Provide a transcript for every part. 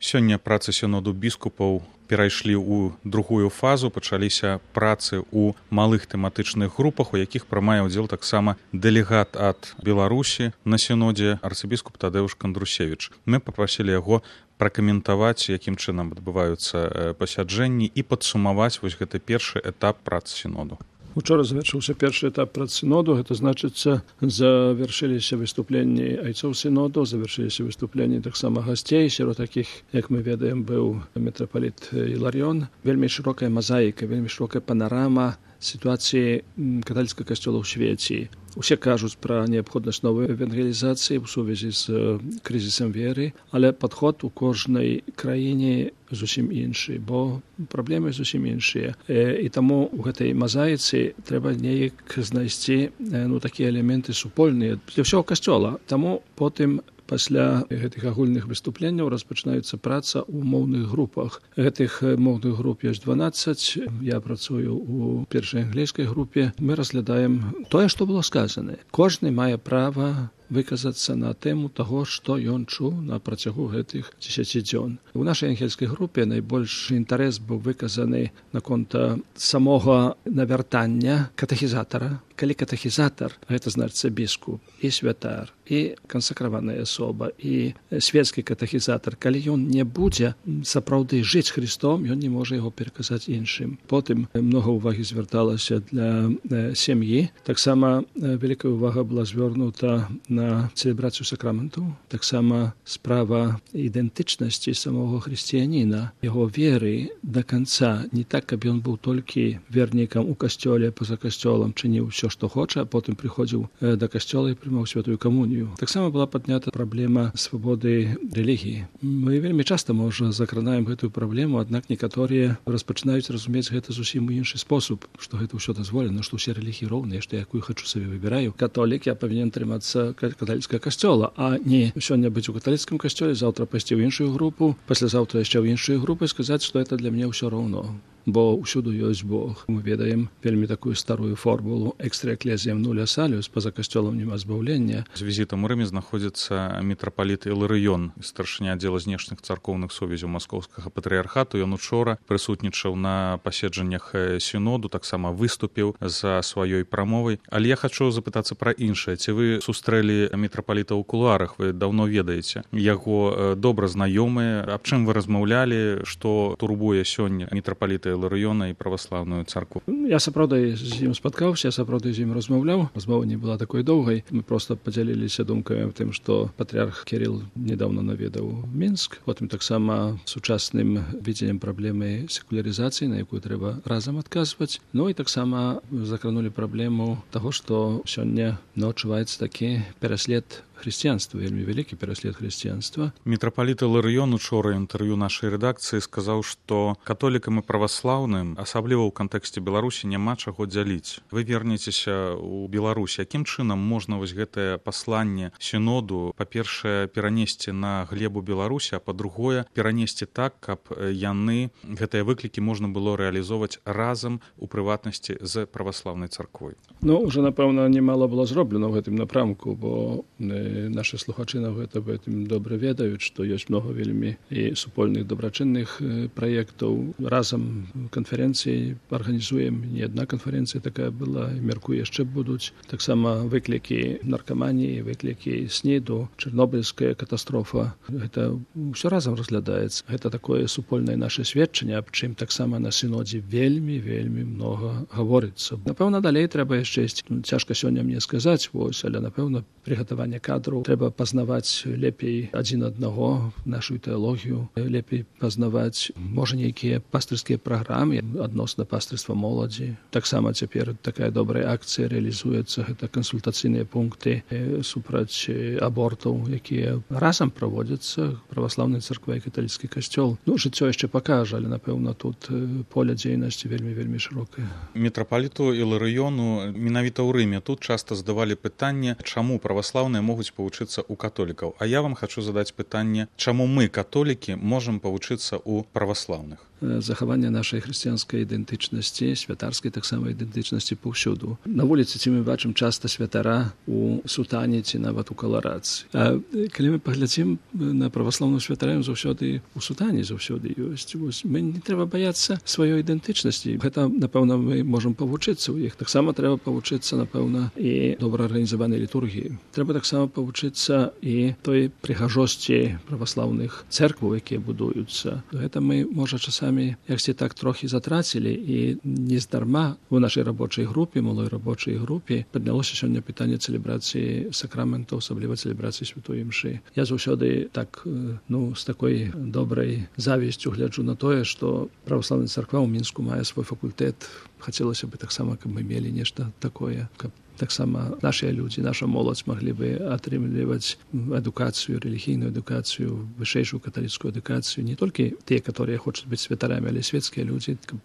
Сёння працы сіноду біскупаў перайшлі ў другую фазу, пачаліся працы ў малых тэматычных групах, у якіх прымае ўдзел таксама дэлегат ад Беларусі на сінодзе арцыбіскуп Тадэуш Кандрусевіч. Мы папрасілі яго пракаментаваць, якім чынам адбываюцца пасяджэнні і падсумаваць вось гэты першы этап працы сіноду. Учора завершыўся першы этап працы сіноду, гэта значыцца, завяршыліся выступленні айцоў сіноду, завяршыліся выступленні таксама гасцей, сярод такіх, як мы ведаем, быў мітрапаліт Іларыён. Вельмі шырокая мазаіка, вельмі шырокая панарама сітуацыі каталіцкага касцёла ў свеце. Усе кажуць пра неабходнасць новай евангелізацыі ў сувязі з крызісам веры, але падход у кожнай краіне зусім іншы, бо праблемы зусім іншыя. І таму ў гэтай мазаіцы трэба неяк знайсці такія элементы супольныя для ўсяго касцёла. Таму потым пасля гэтых агульных выступленняў распачынаецца праца ў моўных групах. Гэтых моўных груп ёсць 12. Я працую ў першай англійскай групе. Мы разглядаем тое, што было сказана. Кожны мае права выказацца на тэму таго, што ён чуў на працягу гэтых 10 дзён. У нашай ангельскай групе найбольшы інтарэс быў выказаны наконт самога навяртання катэхізатара. Калі катэхізатар, гэта значыцца біскуп, і святар, і кансакраваная асоба, і свецкі катэхізатар, калі ён не будзе сапраўды жыць Христом, ён не можа яго пераказаць іншым. Потым многа ўвагі звярталася для сям'і. Таксама вялікая ўвага была звярнута на цэлебрацыю сакраментаў. Таксама справа ідэнтычнасці самого хрысціяніна, яго веры да канца, не так, каб ён быў толькі вернікам у касцёле, па-за касцёлам, чыніў ўсё, што хоча, а потым прыходзіў да касцёла і прымаў святую камунію. Таксама была паднята праблема свабоды рэлігіі. Мы вельмі часта, можа, закранаем гэтую праблему, аднак некаторыя распачынаюць разумець гэта зусім у іншы спосаб, што гэта ўсё дазволена, што ўсе рэлігіі роўныя, што якую хачу сабе выбіраю. Католік, я павінен трымацца каталіцкага касцёла, а не сёння быць у каталіцкім касцёле, заўтра пайсці ў іншую групу, паслязаўтра яшчэ ў іншую групу і сказаць, што гэта для мяне ўсё роўно. Бо ўсюду ёсць Бог. Мы ведаем вельмі такую старую формулу «Extra ecclesiam nulla salus», па-за касцёлам няма збаўлення. З візітам у Рыме знаходзіцца мітрапаліт Іларыён, старшыня аддзела знешніх царкоўных сувязяў маскоўскага патрыярхату. Ён учора прысутнічаў на паседжаннях сіноду, таксама выступіў за сваёй прамовай. Але я хачу запытацца пра іншае. Ці вы сустрэлі мітрапаліта ў кулуарах? Вы даўно ведаеце яго, добра знаёмыя. Аб чым вы размаўлялі, што турбуе сёння мітрапаліта Іларыёна і праваслаўную царкву? Я сапраўды з ім спаткаўся, я сапраўды з ім размаўляў. Размова не была такой доўгай. Мы проста падзяліліся думкамі аб тым, што патрыарх Кірыл недаўно наведаў Мінск. Потым таксама сучасным відзеннем праблемы секулярызацыі, на якую трэба разам адказваць. Ну і таксама закранулі праблему таго, што сёння адчуваецца такі пераслед хрысціянства, вельмі вялікі пераслед хрысціянства. Мітрапаліт Іларыён учора інтэрв'ю нашай рэдакцыі сказаў, што католікам і праваслаўным, асабліва ў кантэксце Беларусі, няма чаго дзяліць. Вы вернецеся ў Беларусь. Якім чынам можна вось гэтае пасланне сіноду, па-першае, перанесці на глебу Беларусі, а па-другое, перанесці так, каб яны, гэтыя выклікі можна было рэалізоўваць разам, у прыватнасці з праваслаўнай царквой? Ну, уже, напэўна, немало было зроблена ў гэтым напрамку, бо нашы слухачы на гэтым добра ведаюць, што ёсць многа вельмі і супольных дабрачынных праектаў. Разам канферэнцыі арганізуем, не адна канферэнцыя такая была, мяркую, яшчэ будуць. Таксама выклікі наркаманіі, выклікі СНІДу, чарнобыльская катастрофа. Гэта ўсё разам разглядаецца. Гэта такое супольнае наше сведчанне, аб чым таксама на сінодзе вельмі многа гаворыцца. Напэўна, далей трэба яшчэ ісці. Цяжка сёння мне сказаць, але, напэўна, прыгатаванне кадраў трэба пазнаваць лепей адзін аднаго, нашу тэалогію, лепей пазнаваць, можа, нейкія пастырскія праграмы адносна пастырства моладзі. Таксама цяпер такая добрая акцыя рэалізуецца, гэта кансультацыйныя пункты супраць абортаў, якія разам праводзяцца праваслаўнай царквай і каталіцкі касцёл. Ну, жыццё яшчэ пакажа, але, напэўна, тут поле дзейнасці вельмі шырокае. Мітрапаліту Іларыёну менавіта ў Рыме тут часта задавалі пытанне, чаму праваслаўныя могуць павучыцца ў католікаў. А я вам хачу задаць пытанне, чаму мы, католікі, можам павучыцца ў праваслаўных? захавання нашай хрысціянскай ідэнтычнасці, святарскай таксама ідэнтычнасці паўсюду. На вуліцы ці мы бачым часта святара у сутане ці нават у каларацы. А калі мы паглядзім на праваслаўную святарам, заўсёды у сутане заўсёды ёсць. Мы не трэба баяцца сваёй ідэнтычнасці. Гэта, напэўна, мы можам павучыцца ў іх. Таксама трэба павучыцца, напэўна, і добра арганізаванай літургіі. Трэба таксама павучыцца і той прыгажосці праваслаўных цэркваў, якія будуюцца. Гэта мы, можа, часамі яксьці так трохі затрацілі, і нездарма у нашай рабочай групе, малой рабочай групе, паднялося сёння пытанне цэлебрацыі сакраментаў, асабліва цэлебрацыі святой імшы. Я заўсёды так, з такой добрай завісцю гляджу на тое, што праваслаўная царква ў Мінску мае свой факультэт. Хацелася бы таксама, каб мы мелі нешта такое, каб таксама нашыя людзі, наша моладзь маглі бы атрымліваць адукацыю, рэлігійную адукацыю, вышэйшую каталіцкую адукацыю, не толькі тыя, которые хочуць быць святарамі, але свецкія людзі, каб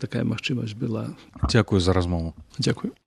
такая магчымасць была. Дзякую за размову. Дзякую.